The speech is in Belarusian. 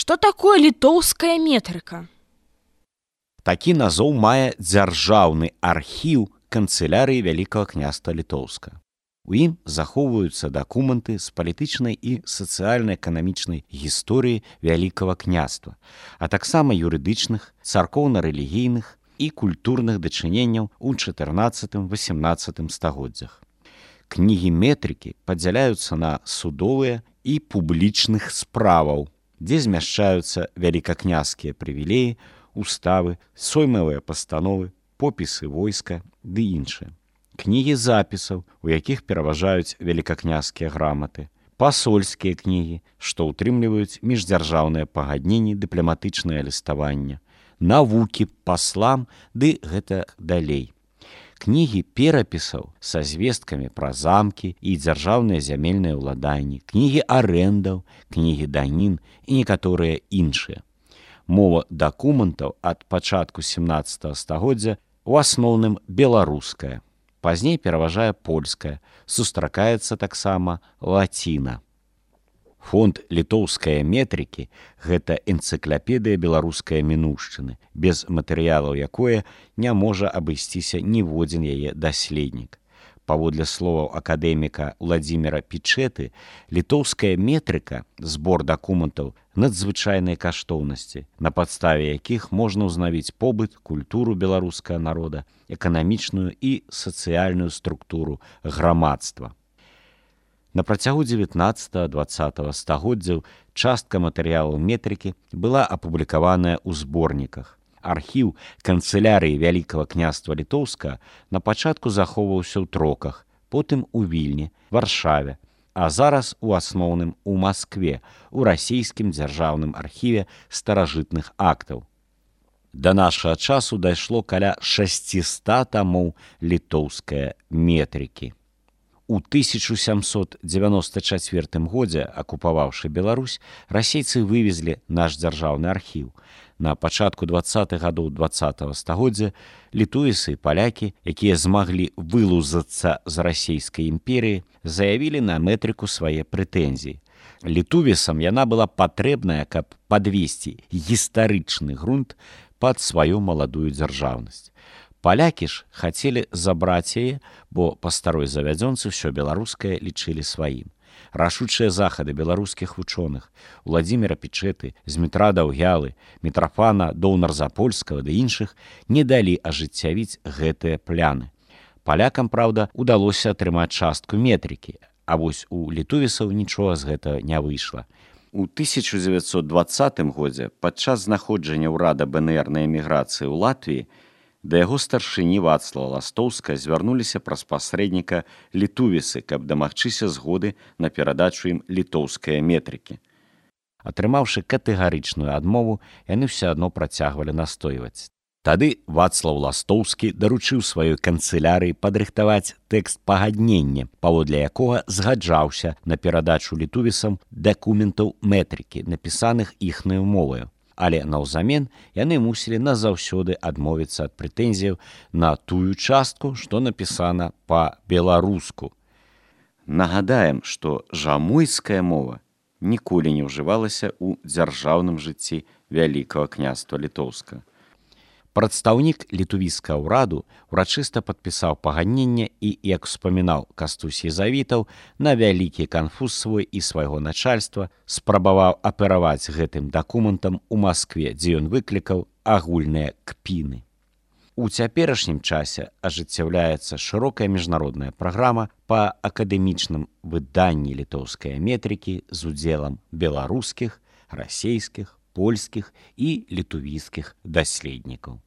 Што такое літоўская метрыка? Такі назоў мае дзяржаўны архіў канцылярыі Вялікага княства Літоўска. У ім захоўваюцца дакументы з палітычнай і сацыяльна-эканамічнай гісторыі Вялікага княства, а таксама юрыдычных, царкоўна-рэлігійных і культурных дачыненняў у 14-18 стагоддзях. Кнігі метрыкі падзяляюцца на судовыя і публічных справаў, дзе змяшчаюцца вялікакняскія прывілеі, уставы, соймавыя пастановы, попісы войска ды іншыя. Кнігі запісаў, у якіх пераважаюць вялікакняскія граматы, пасольскія кнігі, што ўтрымліваюць міждзяржаўныя пагадненні, дыпламатычнае ліставанне, навукі паслам ды гэта далей. Кнігі перапісаў са звесткамі пра замкі і дзяржаўныя зямельныя ўладанні, кнігі арэндаў, кнігі данін і некаторыя іншыя. Мова дакументаў ад пачатку 17 стагоддзя у асноўным беларуская. Пазней пераважае польская, сустракаецца таксама лаціна. Фонд літоўскай метрыкі – гэта энцыклапедыя беларускай мінуўшчыны, без матэрыялаў якое не можа абысціся ніводзін яе даследнік. Паводле словаў акадэміка Владзіміра Пічэты, літоўская метрыка – збор дакументаў надзвычайнай каштоўнасці, на падставе якіх можна ўзнавіць побыт, культуру беларускага народа, эканамічную і сацыяльную структуру грамадства. На працягу 19-20 стагоддзяў частка матэрыялаў метрыкі была апублікаваная ў зборніках. Архіў канцылярыі Вялікага княства Літоўска на пачатку захоўваўся ў Троках, потым у Вільні, Варшаве, а зараз у асноўным у Маскве, у расійскім дзяржаўным архіве старажытных актаў. Да нашага часу дайшло каля 600 тамоў літоўскай метрыкі. У 1794 годзе, акупаваўшы Беларусь, расейцы вывезлі наш дзяржаўны архіў. На пачатку 20-х гадоў 20-го стагоддзя літуісы і палякі, якія змаглі вылузацца з расійскай імперіі, заявілі на метрыку свае прэтэнзіі. Літувісам яна была патрэбная, каб падвесці гістарычны грунт пад сваю маладую дзяржаўнасць. Палякі ж хацелі забраць яе, бо па старой завядзёнцы ўсё беларускае лічылі сваім. Рашучыя захады беларускіх вучоных, Владзіміра Пічэты, Змітра Даўгялы, Мітрафана Доўнар-Запольскага ды іншых не далі ажыццявіць гэтыя пляны. Палякам, праўда, удалося атрымаць частку метрыкі, а вось у літувісаў нічога з гэтага не выйшла. У 1920 годзе, падчас знаходжання ўрада БНР на эміграцыі ў Латвіі, да яго старшыні Вацлава Ластоўска звярнуліся праз пасрэдніка літувісы, каб дамагчыся згоды на перадачу ім літоўскай метрыкі. Атрымаўшы катэгарычную адмову, яны ўсё адно працягвалі настойваць. Тады Вацлаў Ластоўскі даручыў сваёй канцылярыі падрыхтаваць тэкст пагаднення, паводле якога згаджаўся на перадачу літувісам дакументаў метрыкі, напісаных іхнаю моваю. Але наўзамен яны мусілі назаўсёды адмовіцца ад прэтэнзіяў на тую частку, што напісана па-беларуску. Нагадаем, што жамойская мова ніколі не ўжывалася ў дзяржаўным жыцці Вялікага княства Літоўска. Прадстаўнік літувійскага ўраду урачыста падпісаў пагадненне і, як успамінаў Кастусь Езавітаў, на вялікі канфуз свой і свайго начальства спрабаваў апераваць гэтым дакументам у Маскве, дзе ён выклікаў агульныя кпіны. У цяперашнім часе ажыццяўляецца шырокая міжнародная праграма па акадэмічным выданні літоўскай метрыкі з удзелам беларускіх, расейскіх, польскіх і літувійскіх даследнікаў.